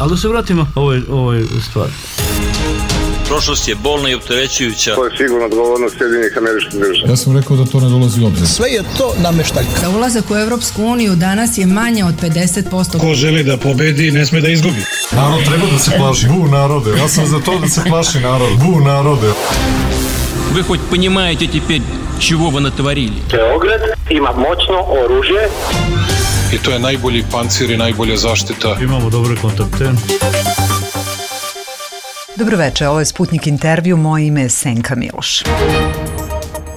Ali da se vratimo ovoj stvari. Prošlost je bolna i opterećujuća. To je sigurno odgovornost Sjedinjenih Američkih Država. Ja sam rekao da to ne dolazi u obzir. Sve je to nameštaljka. Za ulazak u Evropsku uniju danas je manje od 50%. Ko želi da pobedi, ne sme da izgubi. Narod treba da se plaši. Bu narode. Ja sam za to da se plaši narod. Bu narode. Вы хоть понимаете теперь, чего вы натворили? Beograd ima moćno oružje. I to je najbolji pancir i najbolja zaštita. Imamo dobre kontakte. Dobroveče, ovo je Sputnik intervju, moje ime je Senka Miloš.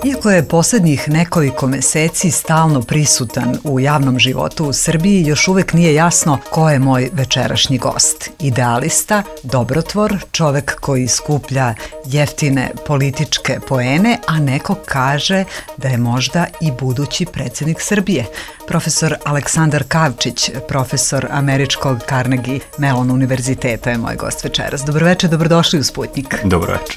Iako je poslednjih nekoliko meseci stalno prisutan u javnom životu u Srbiji, još uvek nije jasno ko je moj večerašnji gost. Idealista, dobrotvor, čovek koji skuplja jeftine političke poene, a neko kaže da je možda i budući predsjednik Srbije. Profesor Aleksandar Kavčić, profesor Američkog Carnegie Mellon univerziteta je moj gost večeras. Dobroveče, dobrodošli u Sputnik. Dobroveče.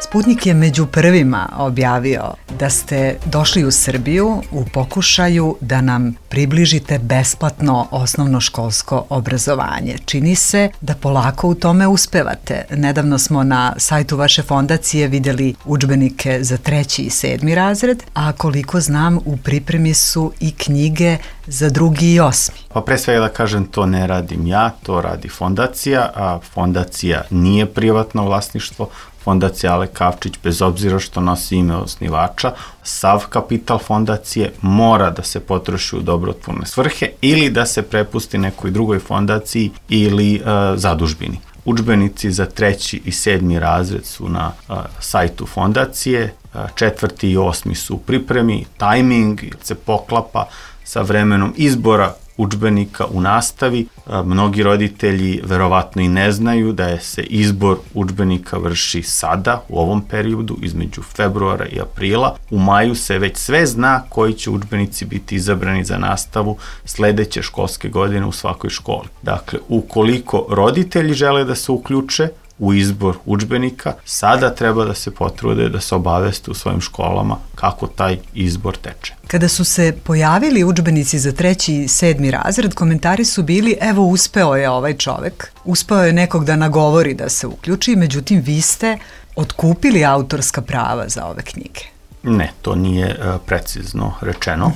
Sputnik je među prvima objavio da ste došli u Srbiju u pokušaju da nam približite besplatno osnovnoškolsko obrazovanje. Čini se da polako u tome uspevate. Nedavno smo na sajtu vaše fondacije vidjeli udžbenike za 3. i 7. razred, a koliko znam u pripremi su i knjige za 2. i 8. Pa pre svega da kažem, to ne radim ja, to radi fondacija, a fondacija nije privatno vlasništvo. Fondacija Ale Kavčić, bez obzira što nosi ime osnivača, sav kapital fondacije mora da se potroši u dobrotvorne svrhe ili da se prepusti nekoj drugoj fondaciji ili zadužbini. Udžbenici za 3. i 7. razred su na sajtu fondacije, 4. i 8. su u pripremi, tajming se poklapa sa vremenom izbora udžbenika u nastavi. Mnogi roditelji verovatno i ne znaju da se izbor udžbenika vrši sada, u ovom periodu, između februara i aprila. U maju se već sve zna koji će udžbenici biti izabrani za nastavu sledeće školske godine u svakoj školi. Dakle, ukoliko roditelji žele da se uključe u izbor udžbenika, sada treba da se potrude da se obaveste u svojim školama kako taj izbor teče. Kada su se pojavili udžbenici za 3. i 7. razred, komentari su bili: evo, uspeo je ovaj čovek, uspeo je nekog da nagovori da se uključi, međutim vi ste otkupili autorska prava za ove knjige. Ne, to nije precizno rečeno.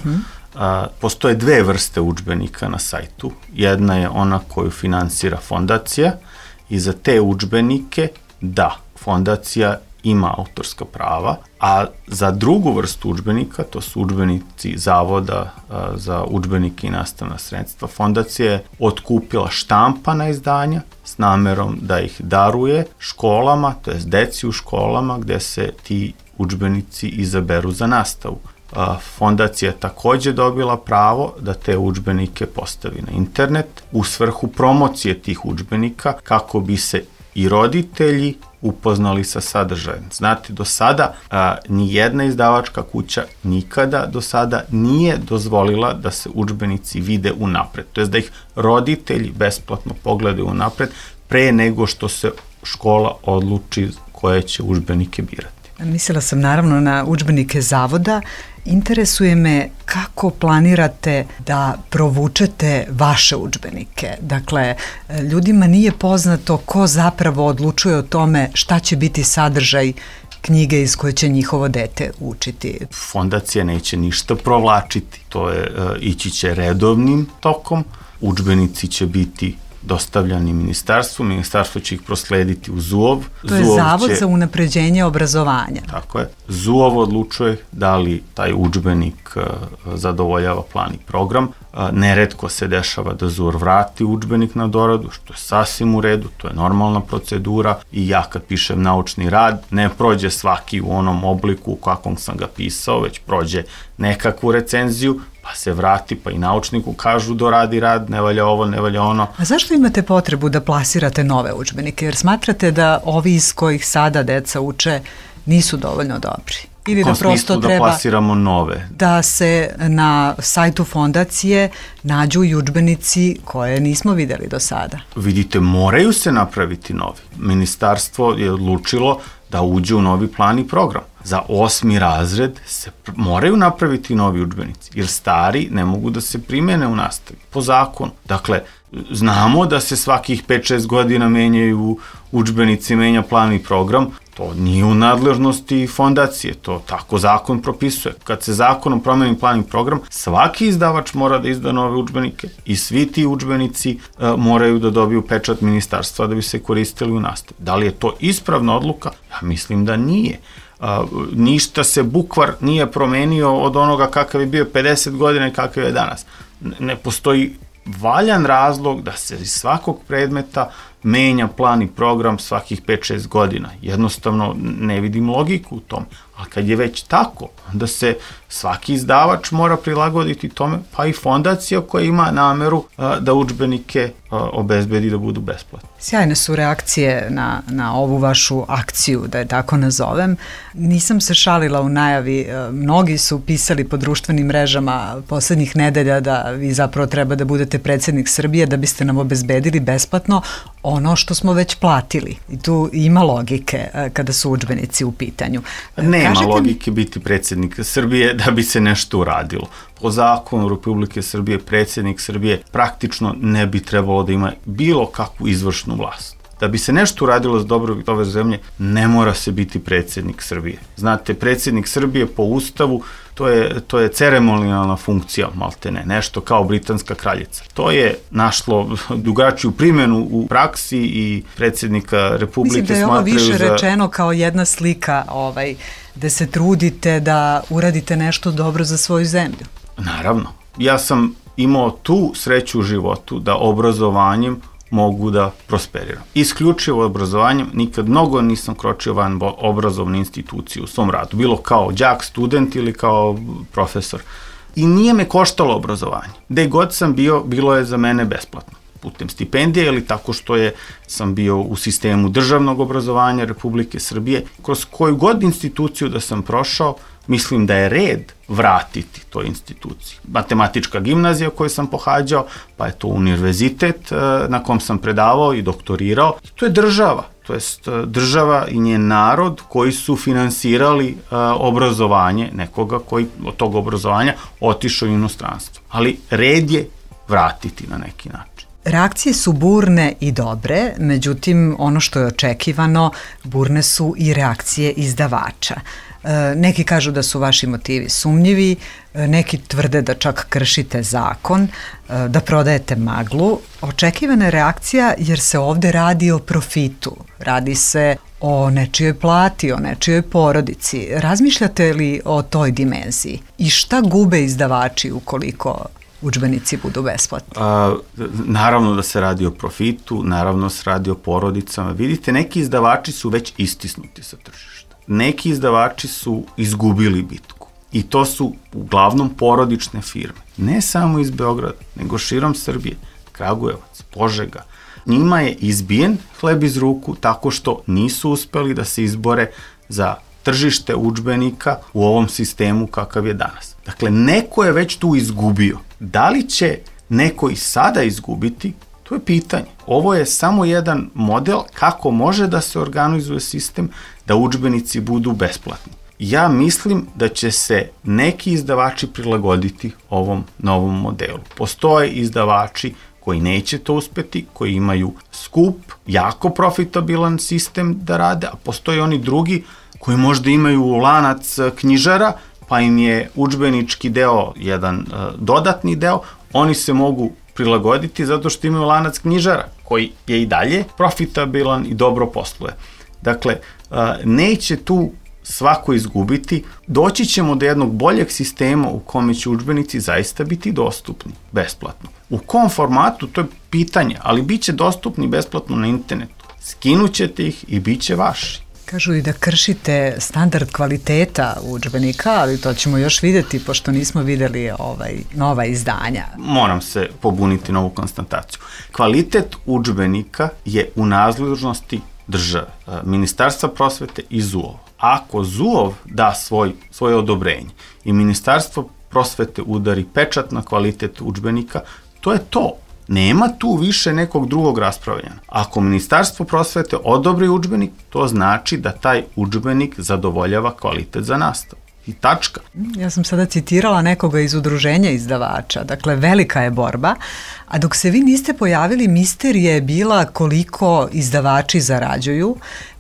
Postoje 2 vrste udžbenika na sajtu. Jedna je ona koju finansira fondacija, i za te udžbenike, da, fondacija ima autorska prava, a za drugu vrstu udžbenika, to su udžbenici Zavoda za udžbenike i nastavna sredstva, fondacija je otkupila štampana izdanja s namerom da ih daruje školama, to jest deci u školama gde se ti udžbenici izaberu za nastavu. Fondacija je takođe dobila pravo da te udžbenike postavi na internet u svrhu promocije tih udžbenika kako bi se i roditelji upoznali sa sadržajem. Znate, do sada ni jedna izdavačka kuća nikada do sada nije dozvolila da se udžbenici vide unapred, to jest da ih roditelji besplatno pogledaju unapred pre nego što se škola odluči koje će udžbenike birati. Mislila sam naravno na udžbenike Zavoda. Interesuje me kako planirate da provučete vaše udžbenike. Dakle, ljudima nije poznato ko zapravo odlučuje o tome šta će biti sadržaj knjige iz koje će njihovo dete učiti. Fondacija neće ništa provlačiti. To je, ići će redovnim tokom. Udžbenici će biti dostavljani ministarstvu, ministarstvo će ih proslediti u ZUOV. To je Zavod za unapređenje obrazovanja. Tako je. ZUOV odlučuje da li taj udžbenik zadovoljava plan i program. Neretko se dešava da ZUOV vrati udžbenik na doradu, što je sasvim u redu, to je normalna procedura i ja kad pišem naučni rad, ne prođe svaki u onom obliku u kakvom sam ga pisao, već prođe nekakvu recenziju, pa se vrati, pa i naučniku kažu doradi rad, ne valja ovo, ne valja ono. A zašto imate potrebu da plasirate nove udžbenike? Jer smatrate da ovi iz kojih sada deca uče nisu dovoljno dobri? Ili da prosto treba da plasiramo nove? Da se na sajtu fondacije nađu i udžbenici koje nismo videli do sada. Vidite, moraju se napraviti novi. Ministarstvo je odlučilo da uđe u novi plan i program. Za 8. razred se moraju napraviti novi udžbenici, jer stari ne mogu da se primene u nastavi, po zakonu. Dakle, znamo da se svakih 5-6 godina menjaju udžbenici, menja plan i program, to nije u nadležnosti fondacije, to tako zakon propisuje. Kad se zakonom promeni plan i program, svaki izdavač mora da izda nove udžbenike i svi ti udžbenici moraju da dobiju pečat ministarstva da bi se koristili u nastavi. Da li je to ispravna odluka? Ja mislim da nije. Ništa se bukvar nije promenio od onoga kakav je bio 50 godina i kakav je danas. Ne postoji valjan razlog da se iz svakog predmeta menja plan i program svakih 5-6 godina. Jednostavno ne vidim logiku u tom. A kad je već tako, onda se svaki izdavač mora prilagoditi tome, pa i fondacija koja ima nameru da udžbenike obezbedi da budu besplatni. Sjajne su reakcije na ovu vašu akciju, da je tako nazovem. Nisam se šalila u najavi, mnogi su pisali po društvenim mrežama poslednjih nedelja da vi zapravo treba da budete predsjednik Srbije da biste nam obezbedili besplatno ono što smo već platili. I tu ima logike kada su udžbenici u pitanju. Nema logike biti predsjednik Srbije da bi se nešto uradilo. Po zakonu Republike Srbije predsjednik Srbije praktično ne bi trebalo da ima bilo kakvu izvršnu vlast. Da bi se nešto uradilo za dobrobit ove zemlje, ne mora se biti predsjednik Srbije. Znate, predsjednik Srbije po ustavu to je ceremonijalna funkcija, maltene, nešto kao britanska kraljica. To je našlo drugačiju primjenu u praksi i predsjednika Republike smatraju za... Mislim da je ovo više rečeno kao jedna slika da se trudite da uradite nešto dobro za svoju zemlju. Naravno. Ja sam imao tu sreću u životu da obrazovanjem mogu da prosperiram. Isključivo obrazovanjem, nikad mnogo nisam kročio van obrazovne institucije u svom radu, bilo kao đak, student ili kao profesor. I nije me koštalo obrazovanje. Gde god sam bio, bilo je za mene besplatno. Putem stipendije ili tako što sam bio u sistemu državnog obrazovanja Republike Srbije. Kroz koju god instituciju da sam prošao, mislim da je red vratiti toj instituciji. Matematička gimnazija koju sam pohađao, pa je to univerzitet na kom sam predavao i doktorirao. To je država, to jest država i njen narod koji su finansirali obrazovanje nekoga koji od tog obrazovanja otišao u inostranstvo. Ali red je vratiti na neki način. Reakcije su burne i dobre, međutim, ono što je očekivano, burne su i reakcije izdavača. Neki kažu da su vaši motivi sumnjivi, neki tvrde da čak kršite zakon, da prodajete maglu. Očekivana je reakcija jer se ovde radi o profitu, radi se o nečijoj plati, o nečijoj porodici. Razmišljate li o toj dimenziji? I šta gube izdavači ukoliko udžbenici budu besplatni? Naravno da se radi o profitu, naravno se radi o porodicama. Vidite, neki izdavači su već istisnuti sa tržišta. Neki izdavači su izgubili bitku. I to su uglavnom porodične firme. Ne samo iz Beograda, nego širom Srbije. Kragujevac, Požega. Njima je izbijen hleb iz ruku tako što nisu uspeli da se izbore za tržište udžbenika u ovom sistemu kakav je danas. Dakle, neko je već tu izgubio. Da li će neko i sada izgubiti? To je pitanje. Ovo je samo jedan model kako može da se organizuje sistem da udžbenici budu besplatni. Ja mislim da će se neki izdavači prilagoditi ovom novom modelu. Postoje izdavači koji neće to uspeti, koji imaju skup, jako profitabilan sistem da rade, a postoje oni drugi koji možda imaju lanac knjižara, pa im je udžbenički deo jedan dodatni deo, oni se mogu prilagoditi zato što imaju lanac knjižara koji je i dalje profitabilan i dobro posluje. Dakle, neće tu svako izgubiti, doći ćemo do jednog boljeg sistema u kome će udžbenici zaista biti dostupni, besplatno. U kom formatu, to je pitanje, ali bit će dostupni besplatno na internetu. Skinućete ih i bit će vaši. Kažu i da kršite standard kvaliteta udžbenika, ali to ćemo još videti, pošto nismo videli nova izdanja. Moram se pobuniti na ovu konstataciju. Kvalitet udžbenika je u nadležnosti države, Ministarstva prosvete i ZUOV. Ako ZUOV da svoje odobrenje i Ministarstvo prosvete udari pečat na kvalitet udžbenika, to je to. Nema tu više nekog drugog raspravljanja. Ako Ministarstvo prosvete odobri udžbenik, to znači da taj udžbenik zadovoljava kvalitet za nastavu. I tačka. Ja sam sada citirala nekoga iz udruženja izdavača, dakle velika je borba, a dok se vi niste pojavili, misterija je bila koliko izdavači zarađuju,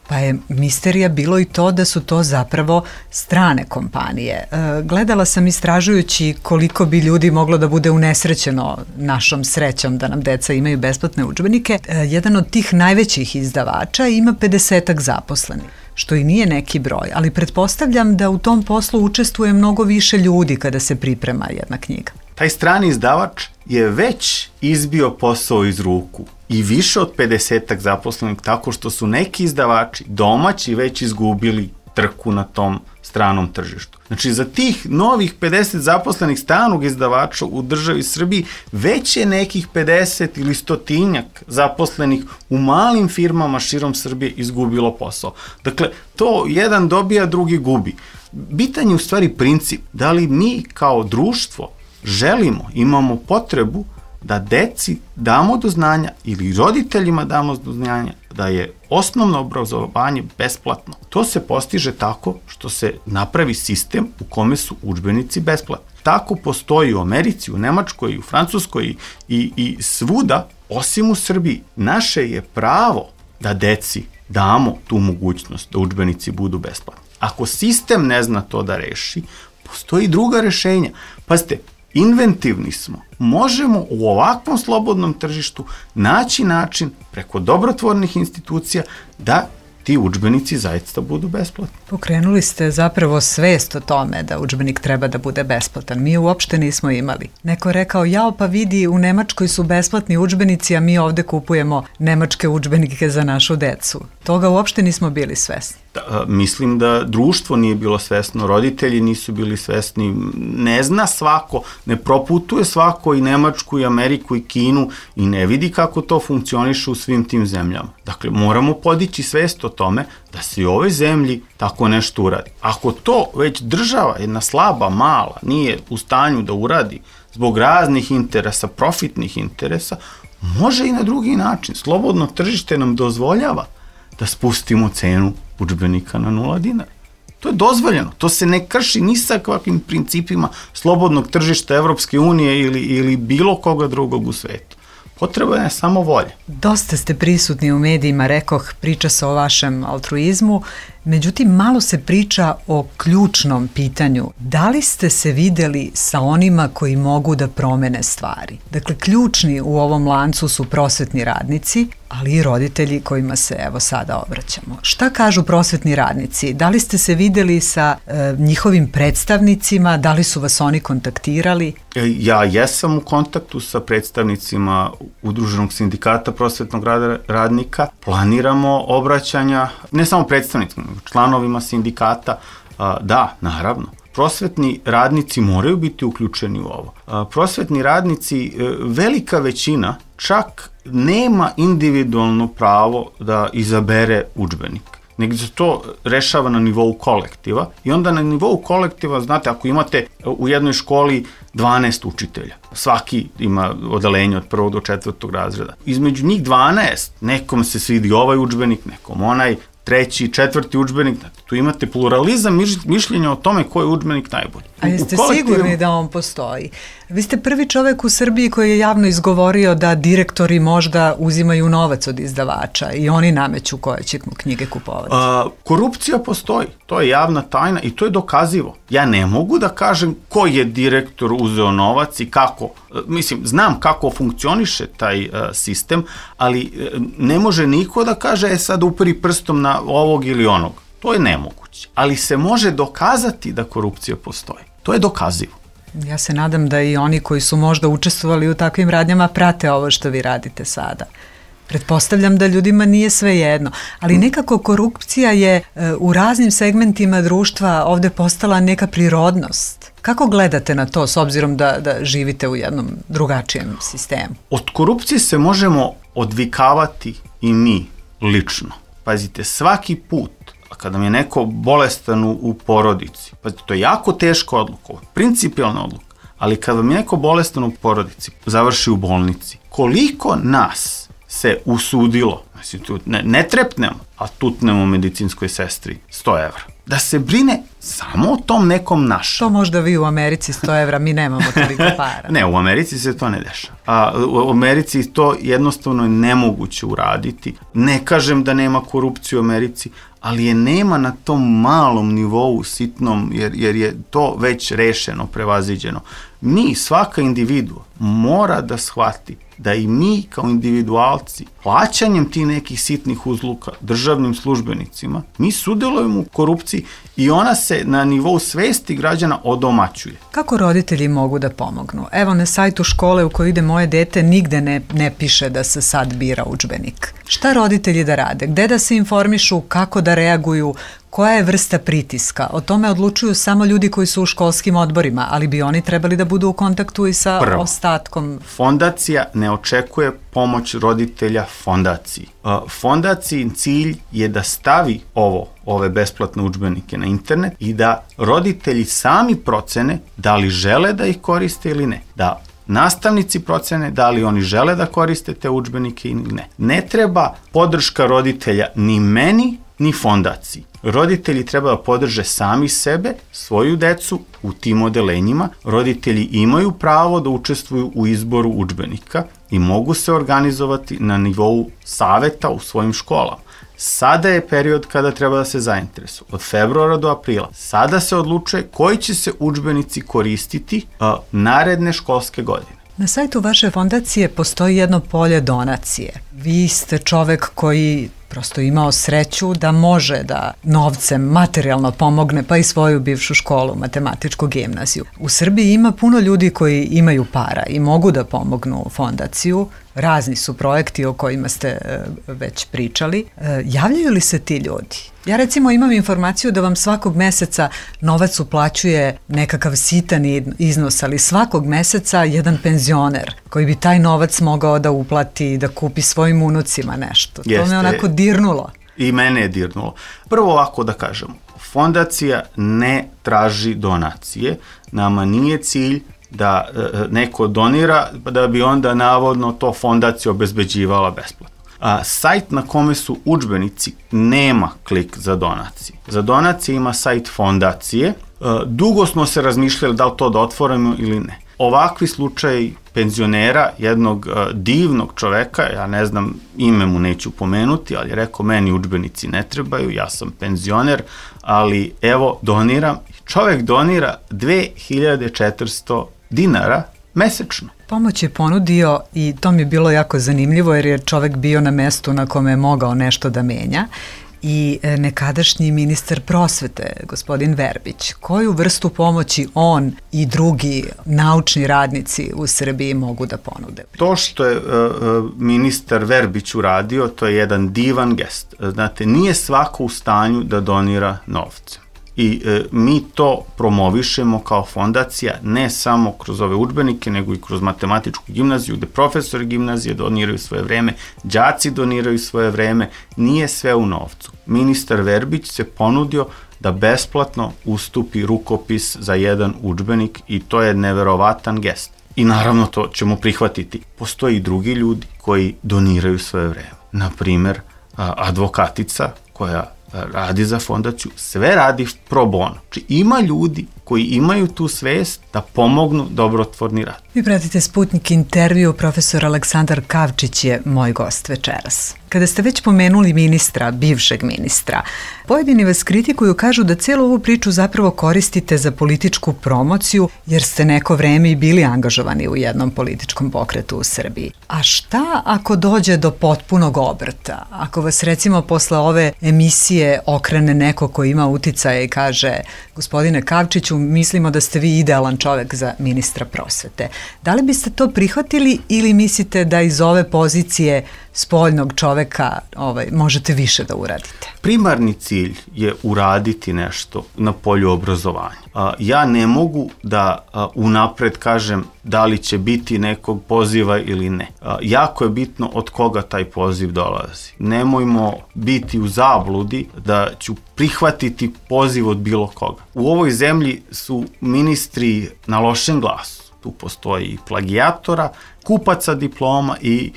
pa je misterija bilo i to da su to zapravo strane kompanije. Gledala sam istražujući koliko bi ljudi moglo da bude unesrećeno našom srećom da nam deca imaju besplatne udžbenike. Jedan od tih najvećih izdavača ima 50-ak zaposlenih, što i nije neki broj, ali pretpostavljam da u tom poslu učestvuje mnogo više ljudi kada se priprema jedna knjiga. Taj strani izdavač je već izbio posao iz ruku i više od 50-ak zaposlenih, tako što su neki izdavači domaći već izgubili trku na tom stranom tržištu. Znači, za tih novih 50 zaposlenih stranog izdavača u državi Srbiji već je nekih 50 ili 100 zaposlenih u malim firmama širom Srbije izgubilo posao. Dakle, to jedan dobija, drugi gubi. Bitan je u stvari princip, da li mi kao društvo želimo, imamo potrebu da deci damo do znanja ili roditeljima damo do znanja da je osnovno obrazovanje besplatno. To se postiže tako što se napravi sistem u kome su udžbenici besplatni. Tako postoji u Americi, u Nemačkoj, u Francuskoj i svuda, osim u Srbiji. Naše je pravo da deci damo tu mogućnost da udžbenici budu besplatni. Ako sistem ne zna to da reši, postoji druga rešenja. Pazite, inventivni smo. Možemo u ovakvom slobodnom tržištu naći način preko dobrotvornih institucija da ti udžbenici zaista budu besplatni. Pokrenuli ste zapravo svest o tome da udžbenik treba da bude besplatan. Mi uopšte nismo imali. Neko je rekao, jao pa vidi, u Nemačkoj su besplatni udžbenici, a mi ovde kupujemo nemačke udžbenike za našu decu. Toga uopšte nismo bili svesni. Mislim da društvo nije bilo svesno, roditelji nisu bili svesni, ne zna svako, ne proputuje svako i Nemačku i Ameriku i Kinu i ne vidi kako to funkcioniše u svim tim zemljama. Dakle, moramo podići svest o tome da se i u ovoj zemlji tako nešto uradi. Ako to već država, jedna slaba, mala, nije u stanju da uradi zbog raznih interesa, profitnih interesa, može i na drugi način. Slobodno tržište nam dozvoljava da spustimo cenu udžbenika na 0 dinara. To je dozvoljeno. To se ne krši ni sa kakvim principima slobodnog tržišta Evropske unije ili bilo koga drugog u svetu. Potrebna je samo volja. Dosta ste prisutni u medijima, rekoh, priča se o vašem altruizmu, međutim malo se priča o ključnom pitanju. Da li ste se videli sa onima koji mogu da promene stvari? Dakle, ključni u ovom lancu su prosvetni radnici, ali i roditelji kojima se evo sada obraćamo. Šta kažu prosvetni radnici? Da li ste se videli sa njihovim predstavnicima? Da li su vas oni kontaktirali? Ja jesam u kontaktu sa predstavnicima Udruženog sindikata prosvetnog radnika. Planiramo obraćanja, ne samo predstavnicima, članovima sindikata. Da, naravno. Prosvetni radnici moraju biti uključeni u ovo. Prosvetni radnici, velika većina, čak nema individualno pravo da izabere udžbenik, nego se to rešava na nivou kolektiva i onda na nivou kolektiva, znate, ako imate u jednoj školi 12 učitelja, svaki ima odeljenje od 1. do 4. razreda. Između njih 12, nekom se svidi ovaj udžbenik, nekom onaj, 3., 4. udžbenik, tu imate pluralizam mišljenja o tome koji je udžbenik najbolji. A jeste sigurni da on postoji? Vi ste prvi čovek u Srbiji koji je javno izgovorio da direktori možda uzimaju novac od izdavača i oni nameću koje će knjige kupovati. Korupcija postoji, to je javna tajna i to je dokazivo. Ja ne mogu da kažem ko je direktor uzeo novac i kako. Mislim, znam kako funkcioniše taj sistem, ali ne može niko da kaže sad uperi prstom na ovog ili onog. To je nemoguće. Ali se može dokazati da korupcija postoji. To je dokazivo. Ja se nadam da i oni koji su možda učestvovali u takvim radnjama prate ovo što vi radite sada. Pretpostavljam da ljudima nije sve jedno, ali nekako korupcija je u raznim segmentima društva ovde postala neka prirodnost. Kako gledate na to s obzirom da živite u jednom drugačijem sistemu? Od korupcije se možemo odvikavati i mi lično. Pazite, svaki put kada mi je neko bolestan u porodici, pazite, to je jako teška odluka, principijalna odluka, Ali kad vam je neko bolestan u porodici, završi u bolnici, koliko nas se usudilo, znači tu ne trepnemo, a tutnemo medicinskoj sestri 100 evra, da se brine samo o tom nekom našem. To možda vi u Americi 100 evra, mi nemamo toliko para. Ne, u Americi se to ne dešava. U Americi to jednostavno je nemoguće uraditi. Ne kažem da nema korupcije u Americi, ali je nema na tom malom nivou sitnom, jer je to već rešeno, prevaziđeno. Mi, svaka individua, mora da shvati da i mi kao individualci, plaćanjem ti nekih sitnih uzluka državnim službenicima, mi sudelujemo u korupciji i ona se na nivou svesti građana odomaćuje. Kako roditelji mogu da pomognu? Evo, na sajtu škole u kojoj ide moje dete nigde ne piše da se sad bira udžbenik. Šta roditelji da rade? Gde da se informišu? Kako da reaguju? Koja je vrsta pritiska? O tome odlučuju samo ljudi koji su u školskim odborima, ali bi oni trebali da budu u kontaktu i sa ostatkom. Fondacija ne očekuje pomoć roditelja fondaciji. Fondaciji cilj je da stavi ove besplatne udžbenike na internet i da roditelji sami procene da li žele da ih koriste ili ne. Da nastavnici procene da li oni žele da koriste te udžbenike ili ne. Ne treba podrška roditelja ni meni, ni fondaciji. Roditelji treba da podrže sami sebe, svoju decu u tim odelenjima. Roditelji imaju pravo da učestvuju u izboru udžbenika i mogu se organizovati na nivou saveta u svojim školama. Sada je period kada treba da se zainteresuju. Od februara do aprila. Sada se odlučuje koji će se udžbenici koristiti naredne školske godine. Na sajtu vaše fondacije postoji jedno polje donacije. Vi ste čovek koji prosto imao sreću da može da novcem materijalno pomogne pa i svoju bivšu školu, matematičku gimnaziju. U Srbiji ima puno ljudi koji imaju para i mogu da pomognu fondaciju. Razni su projekti o kojima ste već pričali. Javljaju li se ti ljudi? Ja recimo imam informaciju da vam svakog meseca novac uplaćuje nekakav sitan iznos, ali svakog meseca jedan penzioner koji bi taj novac mogao da uplati, da kupi svojim unucima nešto. To me onako dirnulo. I mene je dirnulo. Prvo ovako da kažemo, fondacija ne traži donacije, nama nije cilj da neko donira, da bi onda navodno to fondacija obezbeđivala besplatno. Sajt na kome su udžbenici nema klik za donacije. Za donacije ima sajt fondacije. Dugo smo se razmišljali da li to da otvorimo ili ne. Ovakvi slučaj penzionera, jednog divnog čoveka, ja ne znam, ime mu neću pomenuti, ali je rekao, meni udžbenici ne trebaju, ja sam penzioner, ali evo doniram. Čovek donira 2400 dinara mesečno. Pomoć je ponudio i to mi je bilo jako zanimljivo jer je čovek bio na mestu na kome je mogao nešto da menja i nekadašnji ministar prosvete, gospodin Verbić. Koju vrstu pomoći on i drugi naučni radnici u Srbiji mogu da ponude? To što je ministar Verbić uradio, to je jedan divan gest. Znate, nije svako u stanju da donira novce. I mi to promovišemo kao fondacija ne samo kroz ove udžbenike, nego i kroz matematičku gimnaziju, gde profesori gimnazije doniraju svoje vreme, đaci doniraju svoje vreme, nije sve u novcu. Ministar Verbić se ponudio da besplatno ustupi rukopis za jedan udžbenik i to je neverovatan gest. I naravno to ćemo prihvatiti. Postoji i drugi ljudi koji doniraju svoje vreme. Naprimer, advokatica koja radi za fondaciju, sve radi pro bono. Znači ima ljudi koji imaju tu svest da pomognu dobrotvorni rad. Vi pratite Sputnik intervju, profesor Aleksandar Kavčić je moj gost večeras. Kada ste već pomenuli ministra, bivšeg ministra, pojedini vas kritikuju, kažu da celu ovu priču zapravo koristite za političku promociju, jer ste neko vreme i bili angažovani u jednom političkom pokretu u Srbiji. A šta ako dođe do potpunog obrta? Ako vas recimo posle ove emisije okrene neko ko ima uticaje i kaže, gospodine Kavčiću, mislimo da ste vi idealan čovek za ministra prosvete. Da li biste to prihvatili ili mislite da iz ove pozicije spoljnog čoveka možete više da uradite? Primarni cilj je uraditi nešto na polju obrazovanja. Ja ne mogu da unapred kažem da li će biti nekog poziva ili ne. Jako je bitno od koga taj poziv dolazi. Nemojmo biti u zabludi da ću prihvatiti poziv od bilo koga. U ovoj zemlji su ministri na lošem glasu. tu postoji i plagijatora, kupaca diploma i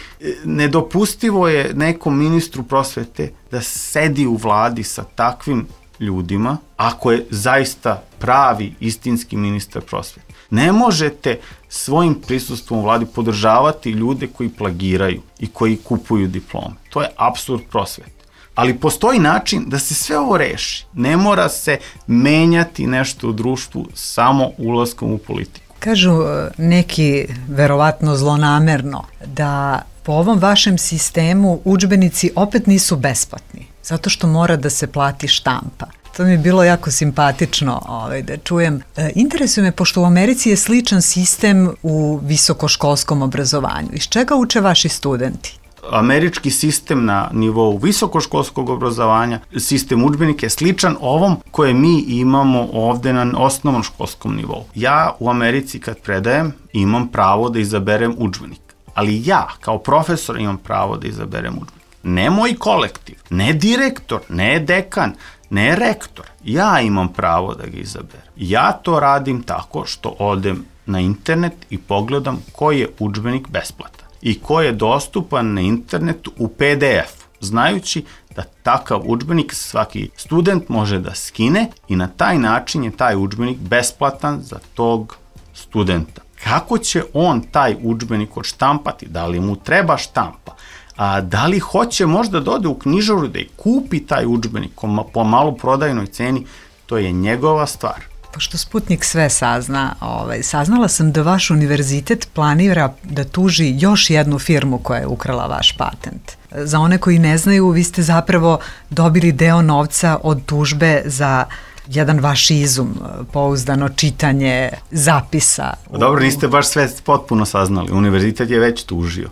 nedopustivo je nekom ministru prosvete da sedi u vladi sa takvim ljudima, ako je zaista pravi, istinski ministar prosvete. Ne možete svojim prisustvom u vladi podržavati ljude koji plagiraju i koji kupuju diplome. To je apsurd prosvete. Ali postoji način da se sve ovo reši. Ne mora se menjati nešto u društvu samo ulaskom u politiku. Kažu neki, verovatno zlonamerno, da po ovom vašem sistemu udžbenici opet nisu besplatni, zato što mora da se plati štampa. To mi je bilo jako simpatično da čujem. Interesuje me, pošto u Americi je sličan sistem u visokoškolskom obrazovanju. Iz čega uče vaši studenti? Američki sistem na nivou visokoškolskog obrazovanja, sistem udžbenika je sličan ovom koje mi imamo ovde na osnovnom školskom nivou. Ja u Americi kad predajem imam pravo da izaberem udžbenik, ali ja kao profesor imam pravo da izaberem udžbenik. Ne moj kolektiv, ne direktor, ne dekan, ne rektor. Ja imam pravo da ga izaberem. Ja to radim tako što odem na internet i pogledam koji je udžbenik besplatan i koji je dostupan na internetu u PDF-u, znajući da takav udžbenik svaki student može da skine i na taj način je taj udžbenik besplatan za tog studenta. Kako će on taj udžbenik odštampati? Da li mu treba štampa? A da li hoće možda da ode u knjižaru da i kupi taj udžbenik po maloprodajnoj ceni? To je njegova stvar. Pošto Sputnik sve sazna, saznala sam da vaš univerzitet planira da tuži još jednu firmu koja je ukrala vaš patent. Za one koji ne znaju, vi ste zapravo dobili deo novca od tužbe za jedan vaš izum, pouzdano čitanje zapisa. Dobro, niste baš sve potpuno saznali. Univerzitet je već tužio.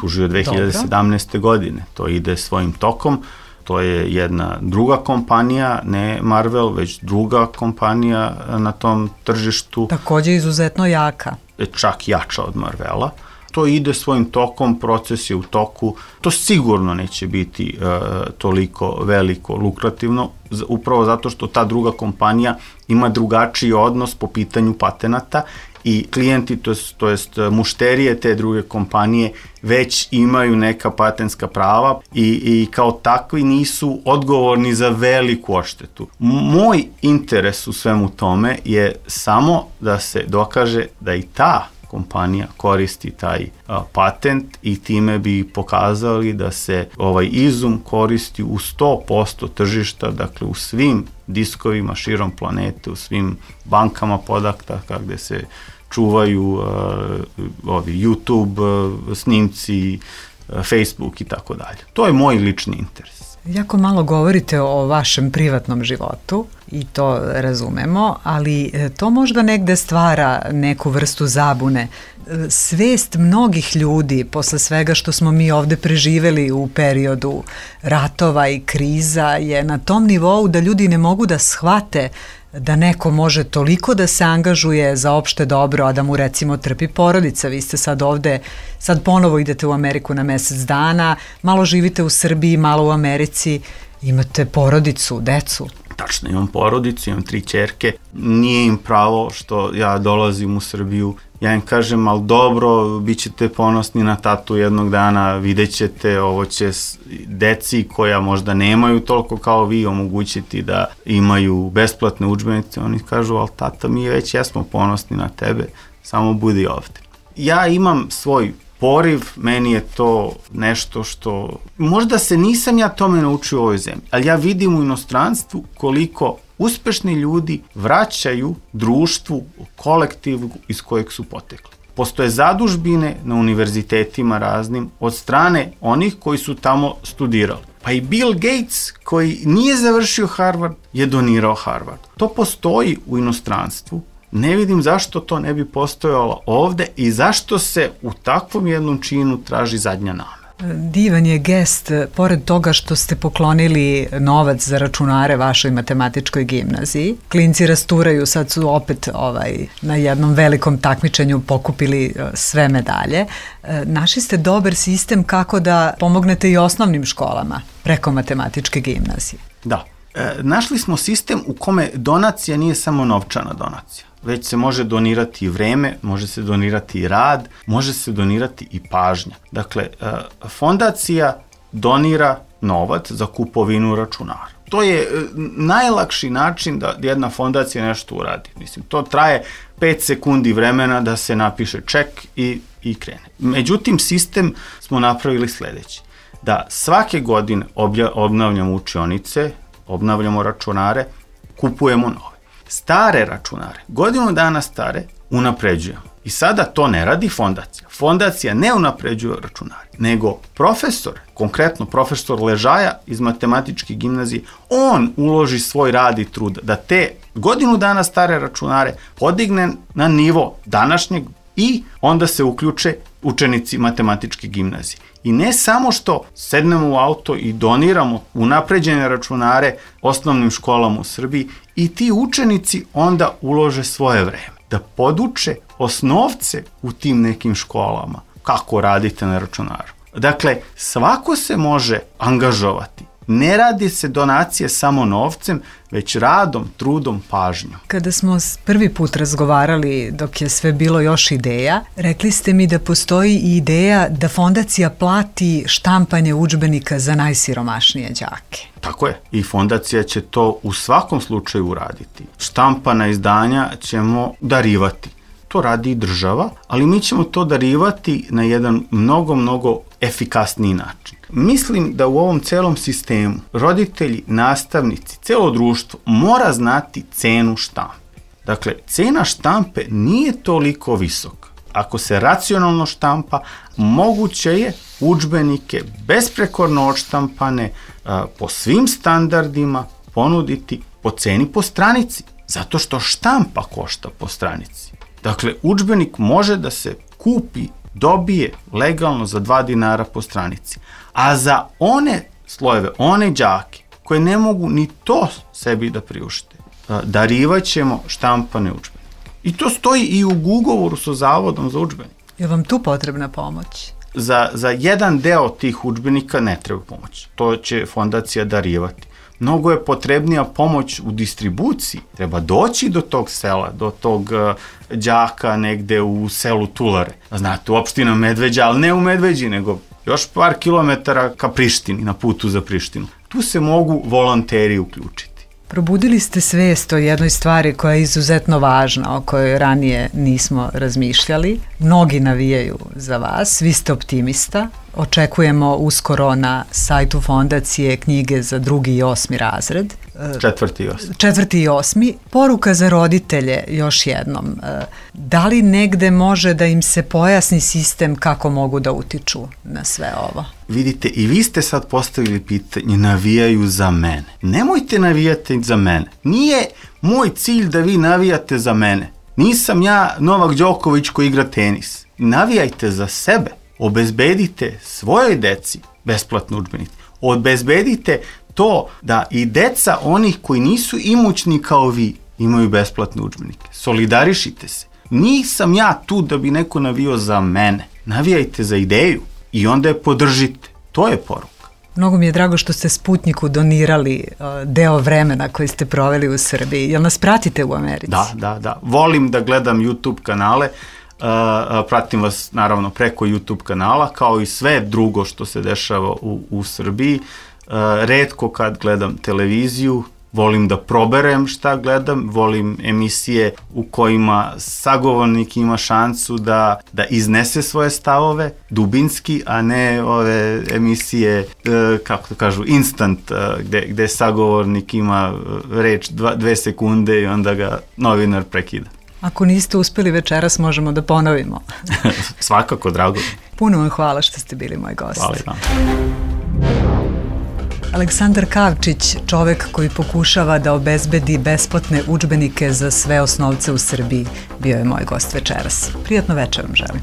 Tužio 2017. godine. To ide svojim tokom. To je jedna druga kompanija, ne Marvel, već druga kompanija na tom tržištu. Takođe izuzetno jaka. Čak jača od Marvela. To ide svojim tokom, proces je u toku. To sigurno neće biti toliko veliko, lukrativno, upravo zato što ta druga kompanija ima drugačiji odnos po pitanju patenata i klijenti, to jest mušterije te druge kompanije već imaju neka patentska prava i kao takvi nisu odgovorni za veliku odštetu. Moj interes u svemu tome je samo da se dokaže da i ta kompanija koristi taj patent i time bi pokazali da se ovaj izum koristi u 100% tržišta, dakle u svim diskovima širom planete, u svim bankama podataka gde se čuvaju YouTube snimci, Facebook i tako dalje. To je moj lični interes. Jako malo govorite o vašem privatnom životu i to razumemo, ali to možda negde stvara neku vrstu zabune. Svest mnogih ljudi posle svega što smo mi ovde preživeli u periodu ratova i kriza je na tom nivou da ljudi ne mogu da shvate da neko može toliko da se angažuje za opšte dobro, a da mu recimo trpi porodica. Vi ste sad ovde, sad ponovo idete u Ameriku na mesec dana, malo živite u Srbiji, malo u Americi, imate porodicu, decu. Tačno, imam porodicu, imam 3 ćerke, nije im pravo što ja dolazim u Srbiju. Ja im kažem, ali dobro, bit ćete ponosni na tatu jednog dana, vidjet ćete, ovo će deci koja možda nemaju toliko kao vi omogućiti da imaju besplatne udžbenice. Oni kažu, ali tata, mi već jesmo ponosni na tebe, samo budi ovde. Ja imam svoj poriv, meni je to nešto što, možda se nisam ja tome naučio u ovoj zemlji, ali ja vidim u inostranstvu koliko uspešni ljudi vraćaju društvu, kolektivu iz kojeg su potekli. Postoje zadužbine na univerzitetima raznim od strane onih koji su tamo studirali. Pa i Bill Gates, koji nije završio Harvard, je donirao Harvard. To postoji u inostranstvu. Ne vidim zašto to ne bi postojalo ovde i zašto se u takvom jednom činu traži zadnja nama. Divan je gest, pored toga što ste poklonili novac za računare vašoj matematičkoj gimnaziji. Klinci rasturaju, sad su opet na jednom velikom takmičenju pokupili sve medalje. Našli ste dobar sistem kako da pomognete i osnovnim školama preko matematičke gimnazije. Da. Našli smo sistem u kome donacija nije samo novčana donacija. već se može donirati i vreme, može se donirati i rad, može se donirati i pažnja. Dakle, fondacija donira novac za kupovinu računara. To je najlakši način da jedna fondacija nešto uradi. Mislim, to traje 5 sekundi vremena da se napiše ček i krene. Međutim, sistem smo napravili sledeći. Da svake godine obnavljamo učionice, obnavljamo računare, kupujemo nove. Stare računare, godinu dana stare, unapređujemo. I sada to ne radi fondacija. Fondacija ne unapređuje računare, nego profesor, konkretno profesor Ležaja iz matematičke gimnazije, on uloži svoj rad i trud da te godinu dana stare računare podigne na nivo današnjeg i onda se uključe učenici matematičke gimnazije. I ne samo što sednemo u auto i doniramo unapređene računare osnovnim školama u Srbiji, i ti učenici onda ulože svoje vreme da poduče osnovce u tim nekim školama kako radite na računaru. Dakle, svako se može angažovati. Ne radi se donacije samo novcem, već radom, trudom, pažnjom. Kada smo prvi put razgovarali, dok je sve bilo još ideja, rekli ste mi da postoji i ideja da fondacija plati štampanje udžbenika za najsiromašnije đake. Tako je. I fondacija će to u svakom slučaju uraditi. Štampana izdanja ćemo darivati. To radi i država, ali mi ćemo to darivati na jedan mnogo efikasniji način. Mislim da u ovom celom sistemu roditelji, nastavnici, celo društvo mora znati cenu štampe. Dakle, cena štampe nije toliko visoka. Ako se racionalno štampa, moguće je udžbenike besprekorno odštampane po svim standardima ponuditi po ceni po stranici, zato što štampa košta po stranici. Dakle, udžbenik može da se kupi, dobije legalno za 2 dinara po stranici. A za one slojeve, one đake koje ne mogu ni to sebi da priušte, darivat ćemo štampane udžbenike. I to stoji i u ugovoru sa Zavodom za udžbenike. Je vam tu potrebna pomoć? Za jedan deo tih udžbenika ne treba pomoć. To će fondacija darivati. Mnogo je potrebnija pomoć u distribuciji. Treba doći do tog sela, do tog đaka negde u selu Tulare. Znate, u opština Medveđa, ali ne u Medveđi, nego još par kilometara ka Prištini, na putu za Prištinu. Tu se mogu volonteri uključiti. Probudili ste svest o jednoj stvari koja je izuzetno važna, o kojoj ranije nismo razmišljali. Mnogi navijaju za vas, vi ste optimista. Očekujemo uskoro na sajtu fondacije knjige za 2. i 8. razred. 4. i 8. 4. i 8. Poruka za roditelje još jednom. Da li negde može da im se pojasni sistem kako mogu da utiču na sve ovo? Vidite, i vi ste sad postavili pitanje, navijaju za mene. Nemojte navijati za mene. Nije moj cilj da vi navijate za mene. Nisam ja Novak Đoković koji igra tenis. Navijajte za sebe. Obezbedite svojoj deci besplatne udžbenike. Obezbedite to da i deca onih koji nisu imućni kao vi imaju besplatne udžbenike. Solidarišite se. Nisam ja tu da bi neko navio za mene. Navijajte za ideju i onda je podržite. To je poruka. Mnogo mi je drago što ste Sputniku donirali deo vremena koji ste proveli u Srbiji. Jel nas pratite u Americi? Da. Volim da gledam YouTube kanale. Pratim vas naravno preko YouTube kanala, kao i sve drugo što se dešava u Srbiji. Retko kad gledam televiziju, volim da proberem šta gledam, volim emisije u kojima sagovornik ima šansu da iznese svoje stavove, dubinski, a ne ove emisije, kako to kažu, instant, gde sagovornik ima reč 2 sekunde i onda ga novinar prekida. Ako niste uspeli večeras, možemo da ponovimo. Svakako, drago. Puno vam hvala što ste bili moj gost. Hvala vam. Aleksandar Kavčić, čovek koji pokušava da obezbedi besplatne udžbenike za sve osnovce u Srbiji, bio je moj gost večeras. Prijatno večer vam želim.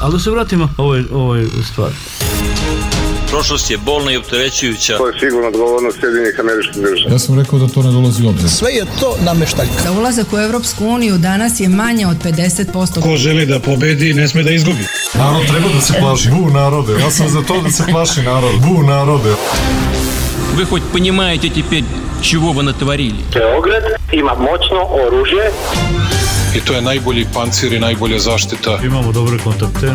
Ali da se vratimo ovoj stvari. Prošlost je bolna i opterećujuća. To je sigurno odgovornost Sjedinjenih Američkih Država. Ja sam rekao da to ne dolazi u obzir. Sve je to nameštaljka. Za ulazak u Evropsku uniju danas je manje od 50%. Ko želi da pobedi, ne sme da izgubi. Narod treba da se plaši. Bu narode. Ja sam za to da se plaši narod. Bu narode. Вы хоть понимаете теперь, чего вы натворили. Beograd ima moćno oružje. I to je najbolji pancir i najbolja zaštita. Imamo dobre kontakte.